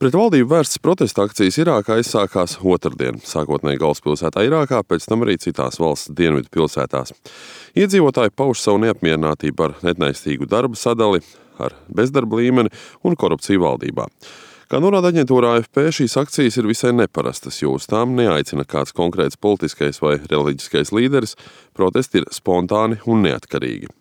Pret valdību vērstas protesta akcijas Irākā aizsākās otrdien, sākotnēji galvaspilsētā Irākā, pēc tam arī citās valsts dienvidu pilsētās. Iedzīvotāji pauž savu neapmierinātību ar neatnaistīgu darba sadali, ar bezdarba līmeni un korupciju valdībā. Kā norāda aģentūra AFP, šīs akcijas ir visai neparastas, jo uz tām neaicina kāds konkrēts politiskais vai reliģiskais līderis, protesti ir spontāni un neatkarīgi.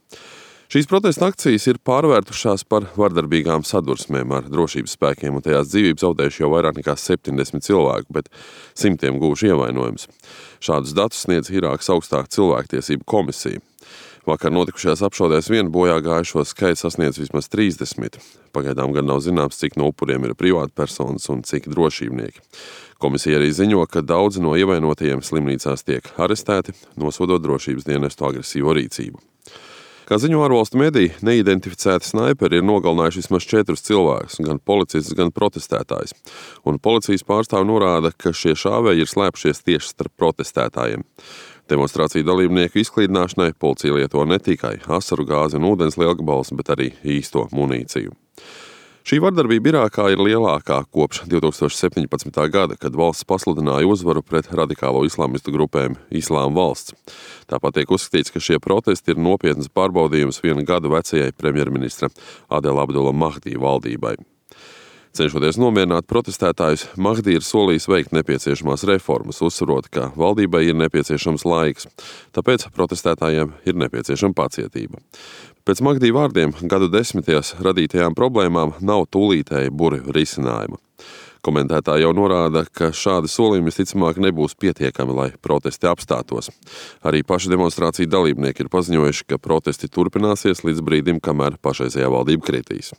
Šīs protesta akcijas ir pārvērtušās par vardarbīgām sadursmēm ar drošības spēkiem, un tajās dzīvību zaudējuši jau vairāk nekā 70 cilvēku, bet simtiem guvuši ievainojumus. Šādus datus sniedz Irākas augstā cilvēktiesību komisija. Vakar notikušajās apšaudēs vien bojā gājušo skaits sasniedz vismaz 30. Pagaidām gan nav zināms, cik no upuriem ir privātpersonas un cik drošībnieki. Komisija arī ziņo, ka daudzi no ievainotajiem slimnīcās tiek arestēti, nosodot drošības dienestu agresīvo rīcību. Kā ziņo ārvalstu mediji, neidentificēti snaiperi ir nogalinājuši vismaz 4 cilvēkus, gan policistus, gan protestētājus. Un policijas pārstāvi norāda, ka šie šāvēji ir slēpšies tieši starp protestētājiem. Demonstrāciju dalībnieku izklīdināšanai policija lieto ne tikai asaru gāzi un ūdens lielgabalus, bet arī īsto munīciju. Šī vardarbība Irākā ir lielākā kopš 2017. gada, kad valsts pasludināja uzvaru pret radikālo islamistu grupēm Islāma valsts. Tāpat tiek uzskatīts, ka šie protesti ir nopietnas pārbaudījums 1 gadu vecajai premjerministra Adela Abdula Mahdi valdībai. Cenšoties nomierināt protestētājus, Mahdi ir solījis veikt nepieciešamās reformas, uzsverot, ka valdībai ir nepieciešams laiks, tāpēc protestētājiem ir nepieciešama pacietība. Pēc Mahdi vārdiem gadu desmitajās radītajām problēmām nav tūlītēji burvju risinājuma. Komentētāji jau norāda, ka šādi solījumi visticamāk nebūs pietiekami, lai protesti apstātos. Arī paši demonstrāciju dalībnieki ir paziņojuši, ka protesti turpināsies līdz brīdim, kamēr pašreizējā valdība kritīs.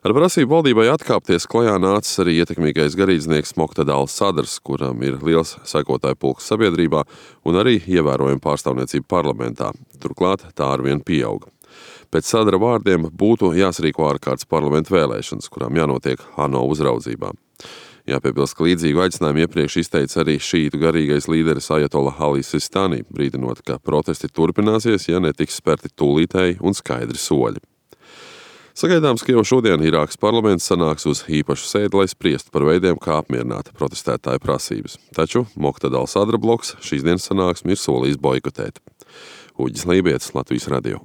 Ar prasību valdībai atkāpties klajā nācis arī ietekmīgais garīdznieks Moqtada al-Sadrs, kuram ir liels sekotāju pulks sabiedrībā un arī ievērojama pārstāvniecība parlamentā. Turklāt tā arvien pieauga. Pēc Sadra vārdiem būtu jāsarīko ārkārtas parlamentu vēlēšanas, kurām jānotiek ANO uzraudzībā. Jāpiebilst, ka līdzīgu aicinājumu iepriekš izteica arī šītu garīgais līderis Ajatolla Ali Sistani, brīdinot, ka protesti turpināsies, ja netiks spērti tūlītēji un skaidri soļi. Sagaidāms, ka jau šodien Irākas parlaments sanāks uz īpašu sēdi, lai spriestu par veidiem, kā apmierināt protestētāju prasības. Taču Moqtada al-Sadra bloks šīs dienas sanāksmi ir solījis boikotēt. Uģis Lībietis, Latvijas radio.